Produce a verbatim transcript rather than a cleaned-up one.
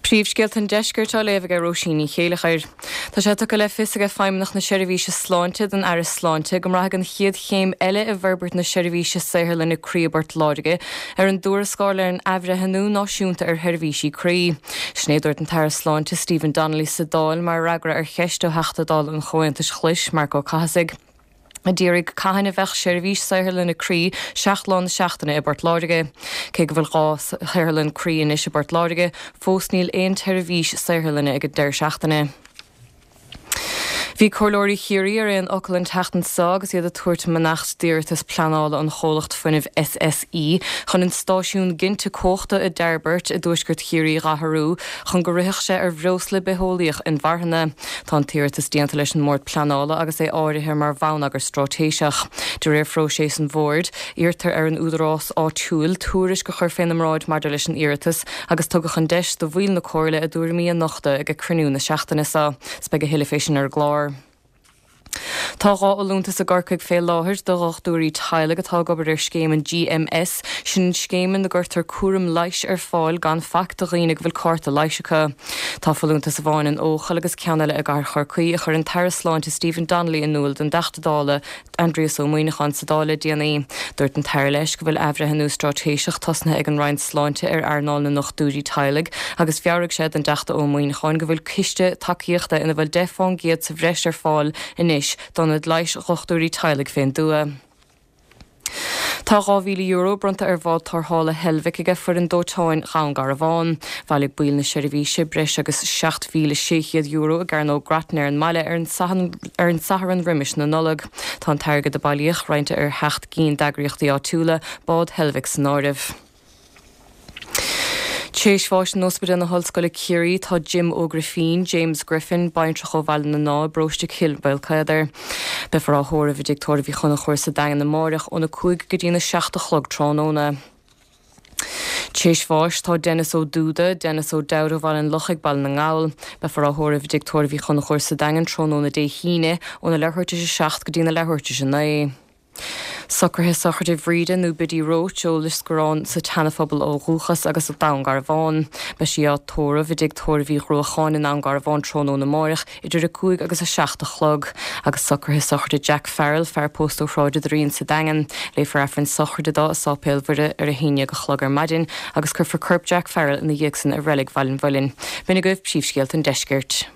Príomhscéalta an Deiscirt á léamh ag Róisín Ní Chéileachair. Tá sé tugtha le fios ag Feidhmeannacht na Seirbhíse Sláinte don Aire Sláinte go mbraithfidh an chéad chéim eile i bhforbairt na seirbhíse saotharlainne croí i bPort Láirge ar an dtuarascáil ar an athbhreithniú náisiúnta ar sheirbhísí croí. Sin é a dúirt an tAire Sláinte Stephen Donnelly sa Dáil mar fhreagra ar cheist ó Theachta Dála an Chomhaontais Ghlais Marc Ó Cathasaigh. a d'iarraidh cathain a bheadh seirbhís saotharlainne croí seacht lá na seachtaine i bPort Láirge. Cé go bhfuil dhá shaotharlann croí anois i bPort Láirge, fós níl aon tseirbhís saotharlainne ag an deireadh seachtaine. Bhí Comhairleoirí Chiarraí ar aon fhocal an tseachtain seo agus iad ag tabhairt a mbeannacht d'iarratas pleanála an chomhlacht fuinnimh SSE chun an stáisiún ginte cumhachta i dTairbeart i dtuaisceart Chiarraí a athrú chun go rithfeadh sé ar bhreosla bitheolaíoch inmharthana. Tá an t-iarratas déanta leis an mBord Pleanála agus é áirithe mar bhonneagar straitéiseach. De réir phróiseas an bhoird, iarrtar ar an údarás áitiúil tuairisc a chur faoina mbráid maidir leis an iarratas agus tugadh an deis do bhaill na comhairle a dtuairimí a nochtadh ag cruinniú na seachtaine seo. 'S beidh a thuilleadh fé sin ar an gclár. Tá dhá fholúntas i gCorcaigh fé láthair do dhochtúirí teaghlaigh atá ag obair ar scéim an GMS, sin scéim ina gcuirtear cúram leighis ar fáil gan faic do dhaoine go bhfuil cárta leighis acu. Tá folúntas amháin in Eochaill agus ceann eile i gCathair Chorcaí a chuir an tAire Sláinte Stephen Donnelly in iúl don dTeachta Dála Aindrias Ó Muimhneacháin sa Dáil le déanaí. Dúirt an tAire leis go bhfuil athbhreithniú straitéiseach tosnaithe ag an Roinn Sláinte ar earnáil na ndochtúirí teaghlaigh agus mheabhraigh sé don dTeachta Ó Muimhneacháin go bhfuil ciste tacaíochta ina bhfuil deich faoin gcéad sa bhreis ar fáil anois d'ionaid leighis dhochtúirí teaghlaigh fén dtuath. Tá dhá mhíle euro bronnta ar bhád tarrthála Heilbhic ag foireann dóiteáin Dhún Garbhán. Bhailigh baill na seirbhíse breis agus seacht mhíle sé chéad euro i gCearnóg Grattan ar an mbaile ar an ar an Satharn roimis na Nollag. Tá an t-airgead a bailíodh roinnte ar sheacht gcinn d'eagraíochtaí áitiúla, bád Heilbhic san áireamh. Théis bháis in Ospidéal na hOllscoile Ciarraí tá Jim Ó Grifín, James Griffin, baintreach ó Bhaile na nDá bparóiste Chill Mhaolcéadair. Beifear á thórramh i dTigh Tórraimh Uí Chonchúir sa Daingean amárach óna cúig go dtí na seacht a chlog tráthnóna. Théis bháis tá Dennis Ó Dúda, Dennis Ó Dowd ó Bhaile an Lochaigh Baile na nGall, Beifear á thórramh i dTigh Tórraimh Uí Chonchúir sa Daingean tráthnóna Dé hAoine óna leathuair tar éis a seacht go dtí na leathuair tar éis a naoi. Socruithe sochraide Bhríde nó Biddy Roach ó Lios Góráin sa tSeanaphobal ó dhúchas agus Dún Garbhán. Beidh sí á tórramh i dTigh Tórraimh Uí Ghruacháin i nDún Garbhán tráthnóna amárach idir a cúig agus a seacht a chlog. Agus socruithe sochraide Jack Farrell, fear pósta ó Shráid an Doirín sa Daingean. Léifear Aifreann sochraide dó i Sáipéal Mhuire ar a haon déag a chlog ar maidin agus cuirfear corp Jack Farrell ina dhiaidh san i reilig Bhaile an Mhuilinn. B'in agaibh príomhscéalta an deiscirt.